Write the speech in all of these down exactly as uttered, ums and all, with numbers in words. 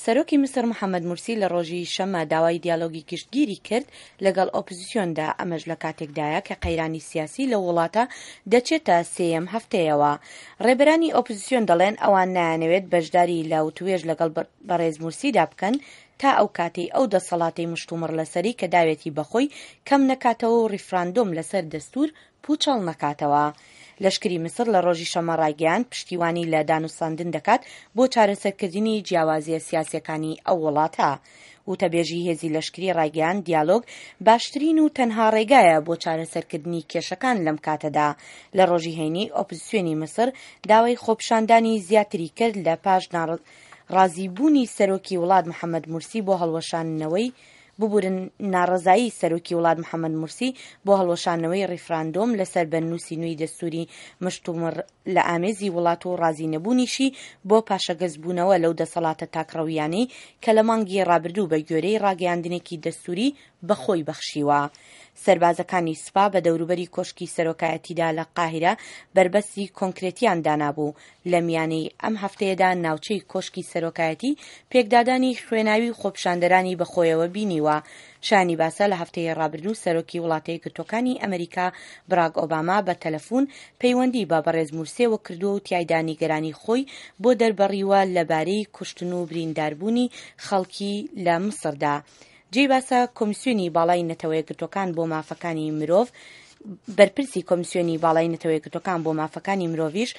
سەرۆکی میسر محەممەد مورسی لە ڕۆژی شەممە داوای دیالۆگی گشتگیری کرد لەگەڵ ئۆپزسیۆندا، ئەمەش لە کاتێکدایە کە قەیرانی سیاسی لەو وڵاتە دەچێتە سێیەم هەفتەیەوە. ڕێبەرانی ئۆپزسیۆن دەڵێن ئەوان نایانەوێت بەشداری لە وتوێژ لەگەڵ بەڕێز مورسیدا بکەن تا ئەو کاتەی ئەو دەسەڵاتەی مشتومڕ لەسەری کە داوێتی بەخۆی کەم نەکاتەوە و ڕیفراندۆم لەسەر دەستور پوچەڵ نەکاتەوە. لەشکری میسر لە ڕۆژی شەممە ڕایگەیاند پشتیوانی لە دانوستاندن دەکات بۆ چارەسەرکردنی جیاوازیە سیاسیەکانی ئەو وڵاتە. وتەبێژی هێزی لەشکری ڕایگەیاند دیالۆگ باشترین و تەنها ڕێگایە بۆ چارەسەرکردنی کێشەکان لەم کاتەدا. لە ڕۆژی هەینی ئۆپزسیۆنی میسر داوای خۆپیشاندانی زیاتری کرد لە پاش ڕازیبوونی سەرۆکی وڵات محەممەد مورسی بۆ هەڵوەشاندنەوەی ببورن ناڕەزایی سەرۆکی وڵات محەممەد مورسی بۆ هەڵوەشانەوەی ڕیفراندۆم لەسەر بەرنووسی نوێی دەستوری مشتومڕ لە ئامێزی وڵات و ڕازی نەبوونیشی بۆ پاشەگەزبوونەوە لەو دەسەڵاتە تاکڕەویانەی کە لە مانگی ڕابردوو بە گوێرەی ڕاگەیاندنێکی دەستوری بەخۆی بەخشیوە. سەربازەکانی سوپا بە دەوروبەری کۆشکی سەرۆکایەتیدا لە قاهیرە بەربەستی کۆنکرێتیان دانابوو. لە میانەی ئەم هەفتەیەدا ناوچەی کۆشکی سەرۆکایەتی پێکدادانی خوێناوی و خۆپیشاندەرانی بەخۆیەوە بینیوە. شایانی باسە لە هەفتەی ڕابردوو سەرۆکی وڵاتە یەکگرتووەکانی ئەمریکا براک ئۆباما بە تەلەفون پەیوەندی بە بەڕێز مورسیەوە کردووە و تیایدا نیگەرانی خۆی بۆ دەربڕیوە لەبارەی کوشتن و برینداربوونی خەڵکی لە میسردا. جێی باسە کۆمیسیۆنی باڵای نەتەوەیەکگرتووەکان بۆ مافەکانی مرۆڤ بەرپرسی کۆمیسیۆنی باڵای نەتەوەیەکگرتووەکان بۆ مافەکانی مرۆڤیش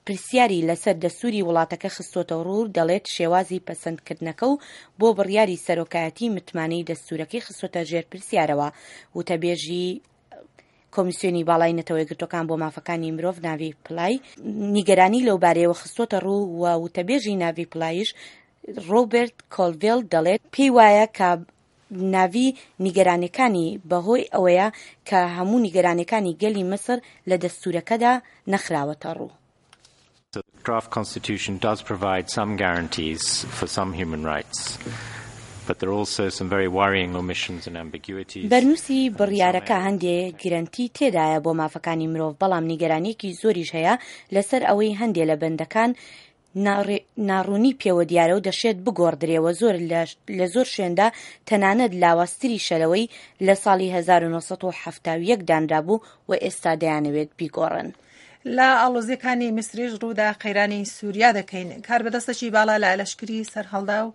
پرسیاری لەسەر دەستوری وڵاتەکە خستۆتە ڕوو، دەڵێت شێوازی پەسەندکردنەکە و بۆ بڕیاری سەرۆکایەتی متمانەی دەستورەکەی خستۆتە ژێر پرسیارەوە. وتەبێژی کۆمیسیۆنی باڵای نەتەوەیەکگرتووەکان بۆ مافەکانی مرۆڤ ناڤی پلای نیگەرانی لەو بارەیەوە خستۆتە ڕوو و وتەبێژی ناڤی پلایش ڕۆبەرت کۆلڤێل دەڵێت پێی وایە کە ناڤی نیگەرانیەکانی بەهۆی ئەوەیە کە هەموو نیگەرانیەکانی گەلی میسر لە دەستورەکەدا نەخراوەتە ڕوو. The draft constitution does provide some guarantees for some human rights, but there are also some very worrying omissions and ambiguities. بەرنووسی بڕیارەکە هەندێ گرەنتی تێدایە بۆ مافەکانی مرۆڤ، بەڵام نیگەرانیەکی زۆریش هەیە لەسەر ئەوەی هەندێ لە بەندەکان ناڕوونی پێوە دیارە و دەشێت بگۆڕدرێوە زۆر لە زۆر شوێندا تەنانەت لاوازتریشە لەوەی لە ساڵی هەزار و نۆ سەد و حەفتا و یەک دانرابوو و ئێستا دەیانەوێت بیگۆڕن. لە ئاڵۆزیەکانی میسریش ڕوودا قەیرانی سووریا دەکەین. کاربەدەستێکی باڵا لە لەشکری سەرهەڵدا و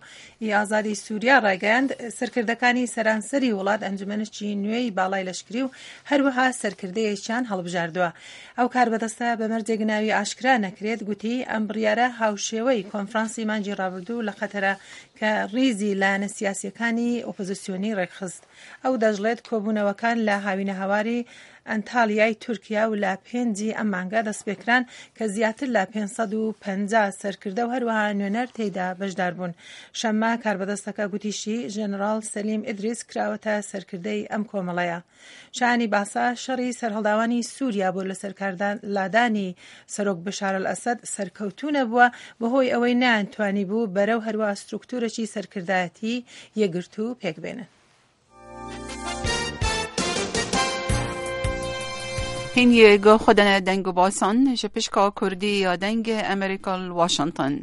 ئازادی سووریا ڕایگەیاند سەرکردەکانی سەرانسەری وڵات ئەنجومەنێکی نوێی باڵای لەشکری و هەروەها سەرکردەیەکیان هەڵبژاردووە. ئەو کاربەدەستە بە مەرجێک ناوی ئاشکرا نەکرێت گوتی ئەم بڕیارە هاوشێوەی کۆنفرانسی مانگی ڕابردوو لە قەتەرە کە ڕیزی لایەنە سیاسیەکانی ئۆپۆزیسیۆنی ڕێکخست. ئەو دەشڵێت کۆبوونەوەکان لە هاوینەهەواری ئەنتالیای تورکیا و لە پێنجی ئەم مانگە دەستپێکران کە زیاتر لە پێنج سەد و پەنجا سەرکردە و هەروەها نوێنەر تێیدا بەشدار بوون. شەممە کاربەدەستەکە گوتیشی ژەنەراڵ سەلیم ئیدریس کراوەتە سەرکردەی ئەم کۆمەڵەیە. شایانی باسە شەڕی سەرهەڵداوانی سووریا بۆ لەسەر لادانی سەرۆک بەشار ئەلئەسەد سەرکەوتوو نەبووە بەهۆی ئەوەی نەیانتوانی بوو بەرەو هەروەها سترکتورێکی سەرکردایەتی یەکگرتوو پێک بێنن. هین گو خودن دنگ باسان جپشکا کردی یا دنگ امریکا واشنگتن.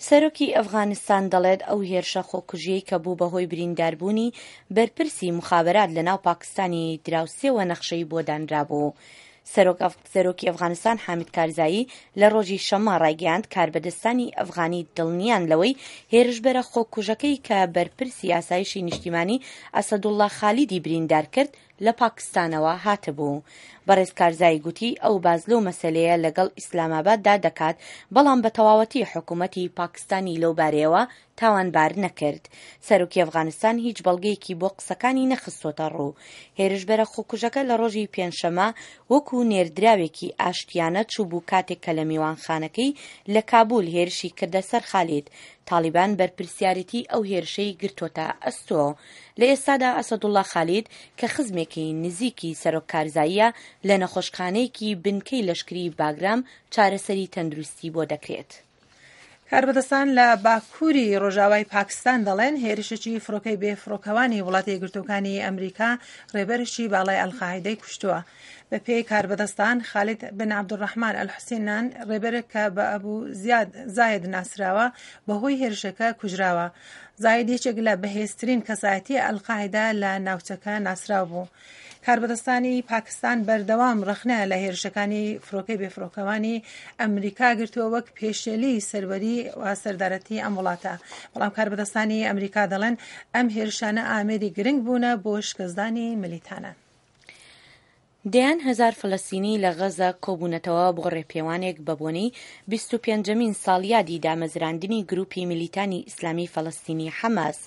سەرۆکی ئەفغانستان دەڵێت ئەو هێرشە خۆکوژیەی کە بوو بەهۆی برینداربوونی بەرپرسی مخابرات لە ناو پاکستانی دراوسێوە نەخشەی بۆ دانرابوو. سەرۆکی ئەفغانستان حامد کارزایی لە ڕۆژی شەممە ڕایگەیاند کاربەدەستانی ئەفغانی دڵنیان لەوەی هێرشبەرە خۆکوژەکەی کە بەرپرسی ئاسایشی نیشتیمانی ئەسەدوڵڵا خالیدی بریندار کرد لە پاکستانەوە هاتبوو. بەڕێز کارزایی گوتی ئەو باز لەو مەسلەیە لەگەڵ ئیسلاماباددا دەکات، بەڵام بە تەواوەتی حکوومەتی پاکستانی لەو بارەیەوە تاوانبار نەکرد. سەرۆکی ئەفغانستان هیچ بەڵگەیەکی بۆ قسەکانی نەخستۆتە ڕوو. هێرشبەرە خۆکوژەکە لە ڕۆژی پێنجشەممە وەکو نێردراوێکی ئاشتیانە چوو بوو کاتێک کە لە میوانخانەکەی لە کابول هێرشی کردە سەر خالید. تالیبان بەرپرسیارێتی ئەو هێرشەی گرتۆتە ئەستۆ. لە ئێستادا ئەسەدوڵڵا خالید کە خزمێکی نزیکی سەرۆک کارزاییە لە نەخۆشخانەیەکی بنکەی لەشکری باگرام چارەسەری تەندروستی بۆ دەکرێت. کاربەدەستان لە باکووری ڕۆژاوای پاکستان دەڵێن هێرشێکی فڕۆکەی بێفڕۆکەوانی وڵاتە یەکگرتووەکانی ئەمریکا ڕێبەرێکی باڵای ئەلقاعیدەی کوشتووە. بەپێی کاربەدەستان خالید بن عەبدولڕەحمان ئەلحوسێنان ڕێبەرێک کە بە ئەبوو زاید ناسراوە بەهۆی هێرشەکە کوژراوە. زاید یەکێک لە بەهێزترین کەسایەتی ئەلقاعیدە لە ناوچەکە ناسراو بوو. کاربەدەستانی پاکستان بەردەوام ڕەخنە لە هێرشەکانی فڕۆکەی بێفڕۆکەوانی ئەمریکا گرتووە وەک پێشێلی سەروەری و سەردارەتی ئەم وڵاتە. بەڵام کاربەدەستانی ئەمریکا دەڵێن ئەم هێرشانە ئامێری گرنگ بوونە بۆ شکستدانی ملیتانان. دەیان هەزار فەلەستینی لە غەزە کۆبوونەتەوە بۆ ڕێپێوانێک بە بۆنەی بیست و پێنجەمین ساڵیادی دامەزراندنی گروپی میلیتانی ئیسلامی فەلەستینی حەماس.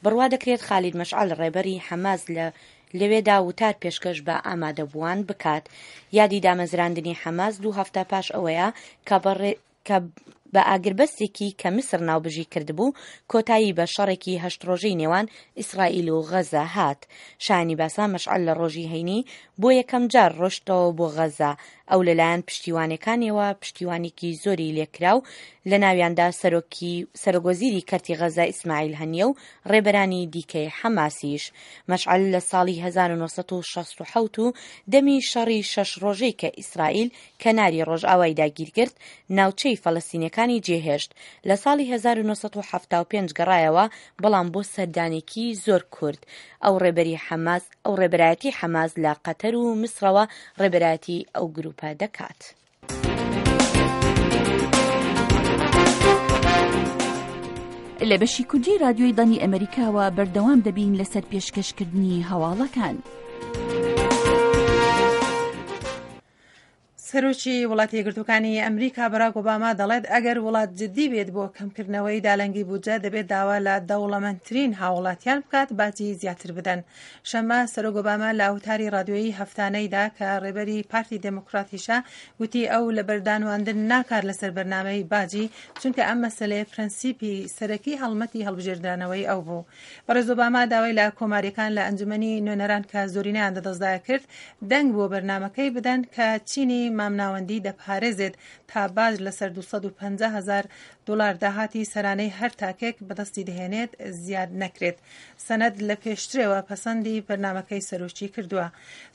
بڕوا دەکرێت خالید مەشعەل ڕێبەری حەماس لە لەوێدا وتار پێشکەش بە ئامادەبووان بکات. یادی دامەزراندنی حەماس دوو هەفتە پاش ئەوەیە کە کە بە ئاگربەستێکی کە میسر ناوبژی کردبوو کۆتایی بە شەڕێکی هەشت ڕۆژەی نێوان ئیسرائیل و غەزە هات. شایانی باسە مەشعەل لە ڕۆژی هەینی بۆ یەکەم جار ڕۆشتەوە بۆ غەزە. ئەو لەلایەن پشتیوانەکانیەوە پشتیوانێکی زۆری لێکرا و لە ناویاندا سەرۆکی سەرۆکوەزیری کەرتی غەزە ئیسماعیل هەنیە و ڕێبەرانی دیکەی حەماسیش. مەشعەل لە ساڵی هەزار و نۆ سەد و شەست و حەوت و دەمی شەڕی شەش ڕۆژەی کە ئیسرائیل کەناری ڕۆژئاوای داگیرکرد ناوچەی فەلەستینەکانی جێهێشت. لە ساڵی هەزار و نۆ سەد و حەفتا و پێنج گەڕایەوە، بەڵام بۆ سەردانێکی زۆر کورد. ئەو ڕێبەری حەماس ئەو ڕێبەرایەتی حەماس لە قەتەر و میسرەوە ڕێبەرایەتی ئەو گروپە دەکات. لە بەشی کوردی رادیۆی دەنگی ئەمریکاوە بەردەوام دەبین لەسەر پێشکەشکردنی هەواڵەکان. سەرۆکی وڵاتی یەکگرتووەکانی ئەمریکا باراک ئۆباما دەڵێت ئەگەر وڵات جدی بێت بۆ کەمکردنەوەی دالەنگی بودجە دەبێت داوا لە دەوڵەمەندترین هاوڵاتیان بکات باجی زیاتر بدەن. شەممە سەرۆک ئۆباما لە وتاری رادیۆیی هەفتانەیدا کە ڕێبەری پارتی دێموکراتیشە وتی ئەو لە بەردانواندن ناکار لەسەر بەرنامەی باجی، چونکە ئەم مەسەلەیە پرەنسیپی سەرەکی هەڵمەتی هەڵبژێردانەوەی ئەو بوو. بەڕێز ئۆباما داوای لە کۆماریەکان لە ئەنجومەنی نوێنەران کە زۆرینەیان دەدەستدایە کرد دەنگ بۆ بەرنامەکەی بدەن کە چینی مامناوەندی دەپارێزێت تا باج لەسەر دوو سەد و پەنجا هەزار دلار داهاتی سەرانەی هەر تاکێک بەدەستی دەهێنێت زیاد نەکرێت. سەنەد لە پێشترەوە پەسەندی بەرنامەکەی سەرۆکی کردووە.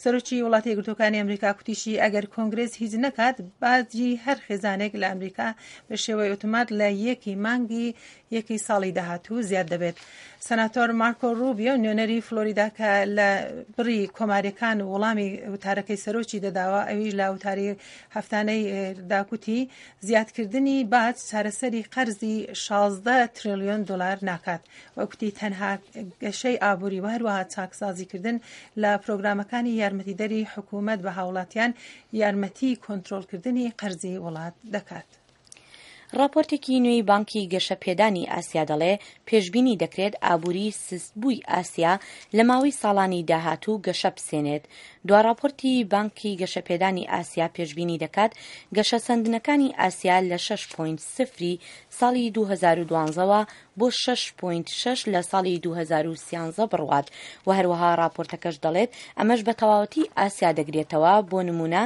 سەرۆکی وڵاتی یەکگرتووەکانی ئەمریکا کوتیشی ئەگەر کۆنگرێس هیچ نەکات باجی هەر خێزانێک لە ئەمریکا بە شێوەی ئۆتۆمات لە یەکی مانگی یەکی ساڵی داهاتوو زیاد دەبێت. سەناتۆر مارکۆ روبیۆ نوێنەری فلۆریدا کە لە بڕی کۆماریەکان وەڵامی وتارەکەی سەرۆکی دەداوە، ئەویش لە وتاری هەفتانەی داکوتی زیادکردنی باج چارەسەری قەرزی شازدە تریلیۆن دلار ناکات. وەکوتی تەنها گەشەی ئابووری و هەروەها چاکسازیکردن لە پرۆگرامەکانی یارمەتیدەری حکوومەت بە هاوڵاتیان یارمەتی کۆنترۆڵکردنی قەرزی وڵات دەکات. راپۆرتێکی نوێی بانکی گەشەپێدانی ئاسیا دەڵێ پێشبینی دەکرێت ئابووری سستبووی ئاسیا لە ماوەی ساڵانی داهاتوو گەشە بسێنێت. دوا راپۆرتی بانکی گەشەپێدانی ئاسیا پێشبینی دەکات گەشەسەندنەکانی ئاسیا لە شەش پۆینت صفر ساڵی دوو هەزار و دوازدە بۆ شەش پۆینت شەش لە ساڵی دوو هەزار و سیانزە بڕوات. و هەروەها راپۆرتەکەش دەڵێت ئەمەش بە تەواوەتی ئاسیا دەگرێتەوە، بۆ نمونە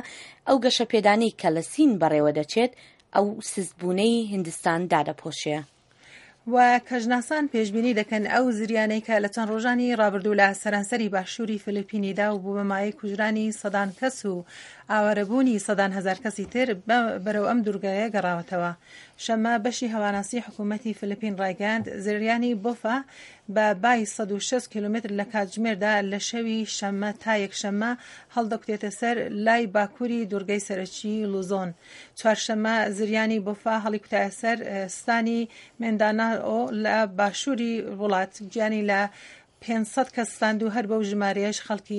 ئەو گەشەپێدانەی کە لە سین بەڕێوە دەچێت ئەو سستبوونەی هندستان دادەپۆشێ. و کەژناسان پێشبینی دەکەن ئەو زریانەی کە لە چەند ڕۆژانی ڕابردوو لە سەرانسەری باشووری فلیپینیدا و بوو بە مایەی کوژرانی سەدان کەس و ئاوارەبوونی سەدان هەزار کەسی تر بەرەو ئەم دوورگایە گەڕاوەتەوە. شەممە بەشی هەواناسی حکوومەتی فلیپین ڕایگەیاند زریانی بۆفا بە بای سەد و شەست کیلۆمەتر لە کاتژمێردا لە شەوی شەممە تا یەکشەممە هەڵدەکوتێتە سەر لای باکووری دوورگەی سەرەکی لوزۆن. چوارشەممە زریانی بۆفا هەڵیکوتایە سەر ستانی مێنداناو لە باشووری وڵات، گیانی لە پێنج سەد کەس ستاند و هەر بەو ژمارەیەش خەڵکی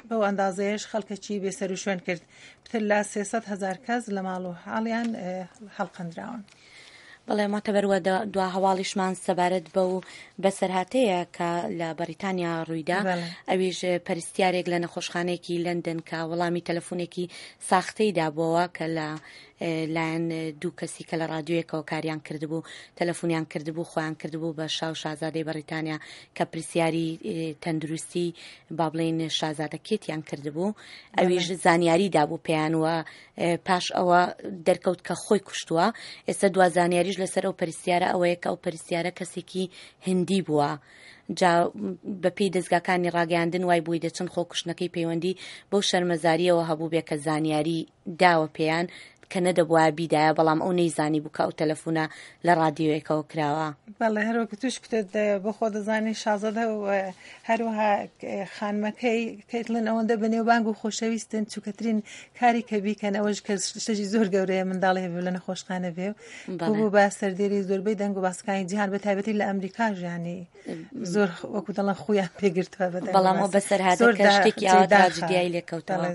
بەو ئەندازەیەش خەڵکەکی بێسەروشوێن کرد. پتر لە سێ سەد هەزار کەس لە ماڵ و حاڵیان هەڵقەندراون. بەڵێ ماتەبەروە دوا هەواڵیشمان سەبارەت بەو بەسەرهاتەیە کە لە بەریتانیا ڕوویدا، ئەویش پەرستیارێک لە نەخۆشخانەیەکی لەندەن کە وەڵامی تەلەفۆنێکی ساختەی دابووەوە کە لە لایەن دوو کەسی کە لە رادیۆیەکەوە کاریان کردبوو تەلەفۆنیان کردبوو خۆیان کردبوو بە شا و شازادەی بەریتانیا کە پرسیاری تەندروستی با بڵێین شازادە کێتیان کردبوو، ئەویش زانیاری دابوو پێیان وە پاش ئەوە دەرکەوت کە خۆی کوشتووە. ئێستا دوا زانیاریش لەسەر ئەو پرسیارە ئەوەیە کە ئەو پرسیارە کەسێکی هندی بووە. جا بەپێی دەزگاکانی ڕاگەیاندن وای بۆی دەچن خۆکوشتنەکەی پەیوەندی بەو شەرمەزارییەوە هەبووبێ کە زانیاری داوە پێیان کە نەدەبوایە بیدایە، بەڵام ئەو نەیزانی بوو کە ئەو تەلەفونە لە ڕادیۆیەکەوە کراوە. بەڵێ هەر وەکو توش کوتت بۆ خۆ دەزانی شازادە و هەروەها خانمەکەی کەیتلن ئەوەندە بەنێوبانگ و خۆشەویستن چووکەترین کاری کە بیکەن ئەوەش کە شتێکی زۆر گەورەیە منداڵی هەبێ لە نەخۆشخانە بێ و بوو بە سەردێری زۆربەی دەنگ و باسەکانی جیهان بە تایبەتی لە ئەمریکا ژیانی زۆر وەکو دەڵێن خویان پێگرتووە بەڵام ئەو بەسەرهاتەکە شتێکی ئاوا تراجیدیای لێکەوتەوە.